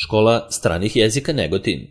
Škola stranih jezika Negotin.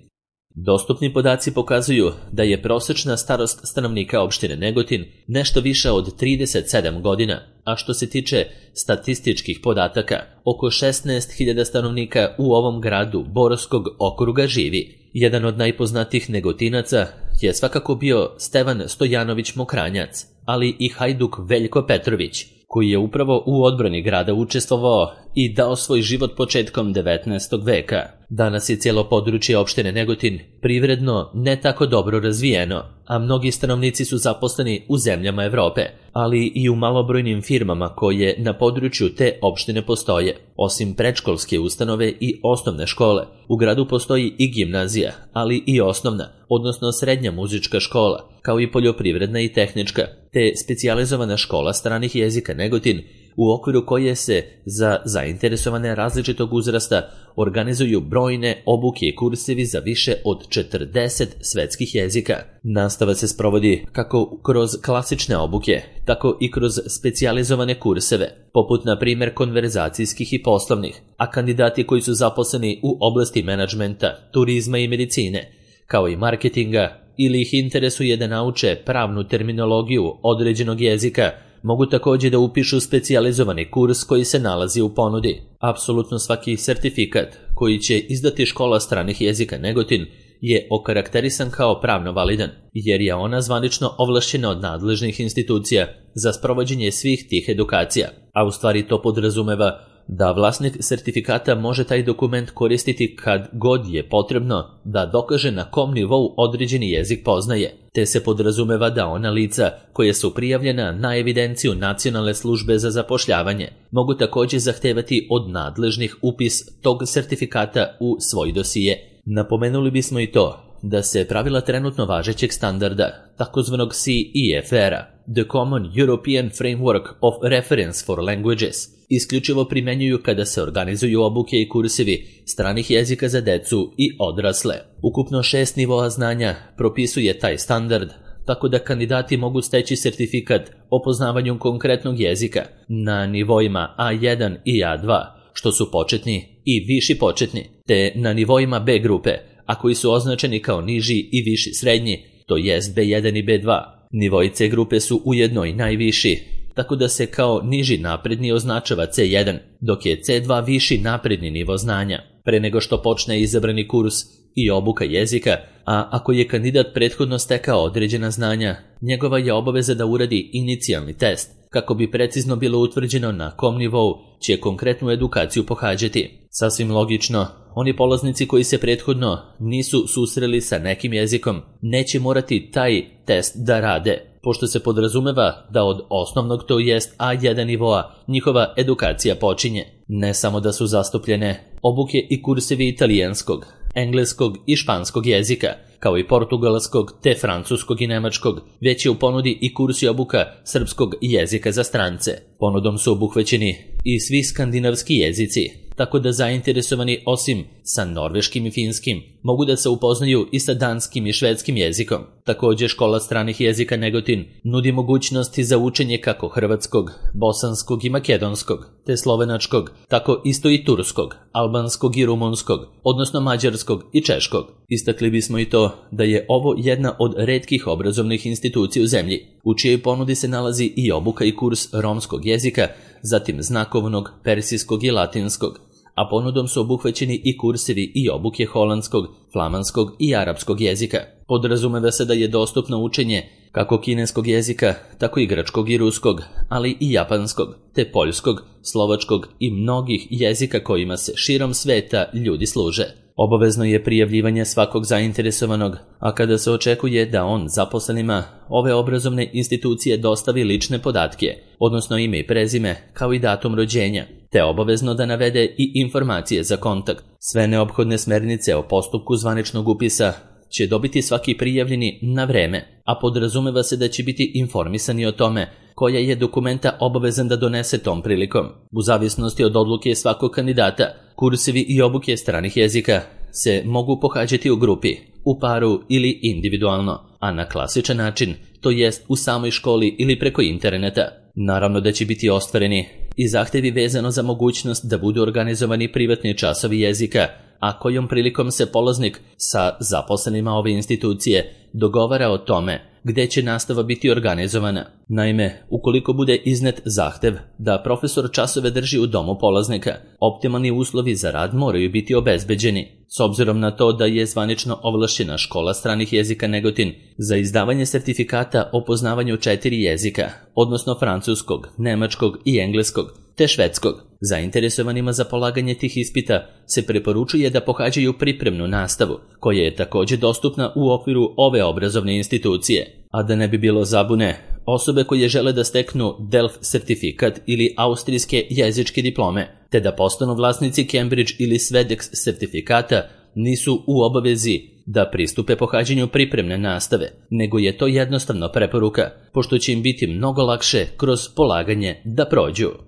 Dostupni podaci pokazuju da je prosečna starost stanovnika opštine Negotin nešto više od 37 godina, a što se tiče statističkih podataka, oko 16.000 stanovnika u ovom gradu Borskog okruga živi. Jedan od najpoznatijih Negotinaca je svakako bio Stevan Stojanović Mokranjac, ali i hajduk Veljko Petrović, koji je upravo u odbrani grada učestvovao i dao svoj život početkom 19. veka. Danas je cijelo područje opštine Negotin privredno ne tako dobro razvijeno, a mnogi stanovnici su zaposleni u zemljama Evrope, ali i u malobrojnim firmama koje na području te opštine postoje. Osim predškolske ustanove i osnovne škole, u gradu postoji i gimnazija, ali i osnovna, odnosno srednja muzička škola, kao i poljoprivredna i tehnička, te specijalizovana škola stranih jezika Negotin, u okviru koje se za zainteresovane različitog uzrasta organizuju brojne obuke i kursevi za više od 40 svetskih jezika. Nastava se sprovodi kako kroz klasične obuke, tako i kroz specijalizovane kurseve, poput na primjer konverzacijskih i poslovnih, a kandidati koji su zaposleni u oblasti menadžmenta, turizma i medicine, kao i marketinga, ili ih interesuje da nauče pravnu terminologiju određenog jezika, mogu također da upišu specijalizovani kurs koji se nalazi u ponudi. Apsolutno svaki sertifikat koji će izdati škola stranih jezika Negotin je okarakterisan kao pravno validan, jer je ona zvanično ovlašćena od nadležnih institucija za sprovođenje svih tih edukacija, a u stvari to podrazumeva da vlasnik sertifikata može taj dokument koristiti kad god je potrebno da dokaže na kom nivou određeni jezik poznaje, te se podrazumeva da ona lica koja su prijavljena na evidenciju Nacionalne službe za zapošljavanje mogu također zahtevati od nadležnih upis tog sertifikata u svoj dosije. Napomenuli bismo i to da se pravila trenutno važećeg standarda, takozvanog CEFR-a, The Common European Framework of Reference for Languages, isključivo primjenjuju kada se organizuju obuke i kursevi stranih jezika za decu i odrasle. Ukupno 6 nivoa znanja propisuje taj standard, tako da kandidati mogu steći sertifikat o poznavanju konkretnog jezika na nivoima A1 i A2, što su početni i viši početni, te na nivoima B grupe, a koji su označeni kao niži i viši srednji, to jest B1 i B2. Nivoi C grupe su ujedno i najviši, tako da se kao niži napredni označava C1, dok je C2 viši napredni nivo znanja. Pre nego što počne izabrani kurs i obuka jezika, a ako je kandidat prethodno stekao određena znanja, njegova je obaveza da uradi inicijalni test, kako bi precizno bilo utvrđeno na kom nivou će konkretnu edukaciju pohađati. Sasvim logično, oni polaznici koji se prethodno nisu susreli sa nekim jezikom neće morati taj test da rade, pošto se podrazumeva da od osnovnog, to jest A1 nivoa, njihova edukacija počinje. Ne samo da su zastupljene obuke i kursevi italijanskog, engleskog i španskog jezika, kao i portugalskog te francuskog i nemačkog, već je u ponudi i kurs i obuka srpskog jezika za strance. Ponudom su obuhvaćeni i svi skandinavski jezici, tako da zainteresovani osim sa norveškim i finskim mogu da se upoznaju i sa danskim i švedskim jezikom. Također škola stranih jezika Negotin nudi mogućnosti za učenje kako hrvatskog, bosanskog i makedonskog, te slovenačkog, tako isto i turskog, albanskog i rumunskog, odnosno mađarskog i češkog. Istakli bismo i to da je ovo jedna od retkih obrazovnih institucija u zemlji, u čijoj ponudi se nalazi i obuka i kurs romskog jezika, zatim znakovnog, persijskog i latinskog, a ponudom su obuhvaćeni i kursevi i obuke holandskog, flamanskog i arapskog jezika. Podrazumeva se da je dostupno učenje kako kineskog jezika, tako i grčkog i ruskog, ali i japanskog, te poljskog, slovačkog i mnogih jezika kojima se širom sveta ljudi služe. Obavezno je prijavljivanje svakog zainteresovanog, a kada se očekuje da on zaposlenima ove obrazovne institucije dostavi lične podatke, odnosno ime i prezime, kao i datum rođenja, te obavezno da navede i informacije za kontakt. Sve neophodne smernice o postupku zvaničnog upisa će dobiti svaki prijavljeni na vreme, a podrazumeva se da će biti informisani o tome koja je dokumenta obavezan da donese tom prilikom. U zavisnosti od odluke svakog kandidata, kursevi i obuke stranih jezika se mogu pohađati u grupi, u paru ili individualno, a na klasičan način, to jest u samoj školi ili preko interneta. Naravno da će biti ostvareni i zahtevi vezano za mogućnost da budu organizovani privatni časovi jezika, a kojom prilikom se polaznik sa zaposlenima ove institucije dogovara o tome gde će nastava biti organizovana. Naime, ukoliko bude iznet zahtev da profesor časove drži u domu polaznika, optimalni uslovi za rad moraju biti obezbeđeni. S obzirom na to da je zvanično ovlašćena Škola stranih jezika Negotin za izdavanje sertifikata o poznavanju 4 jezika, odnosno francuskog, nemačkog i engleskog, te švedskog, zainteresovanima za polaganje tih ispita se preporučuje da pohađaju pripremnu nastavu, koja je također dostupna u okviru ove obrazovne institucije. A da ne bi bilo zabune, osobe koje žele da steknu DELF sertifikat ili austrijske jezičke diplome, te da postanu vlasnici Cambridge ili Swedex sertifikata, nisu u obavezi da pristupe pohađanju pripremne nastave, nego je to jednostavno preporuka, pošto će im biti mnogo lakše kroz polaganje da prođu.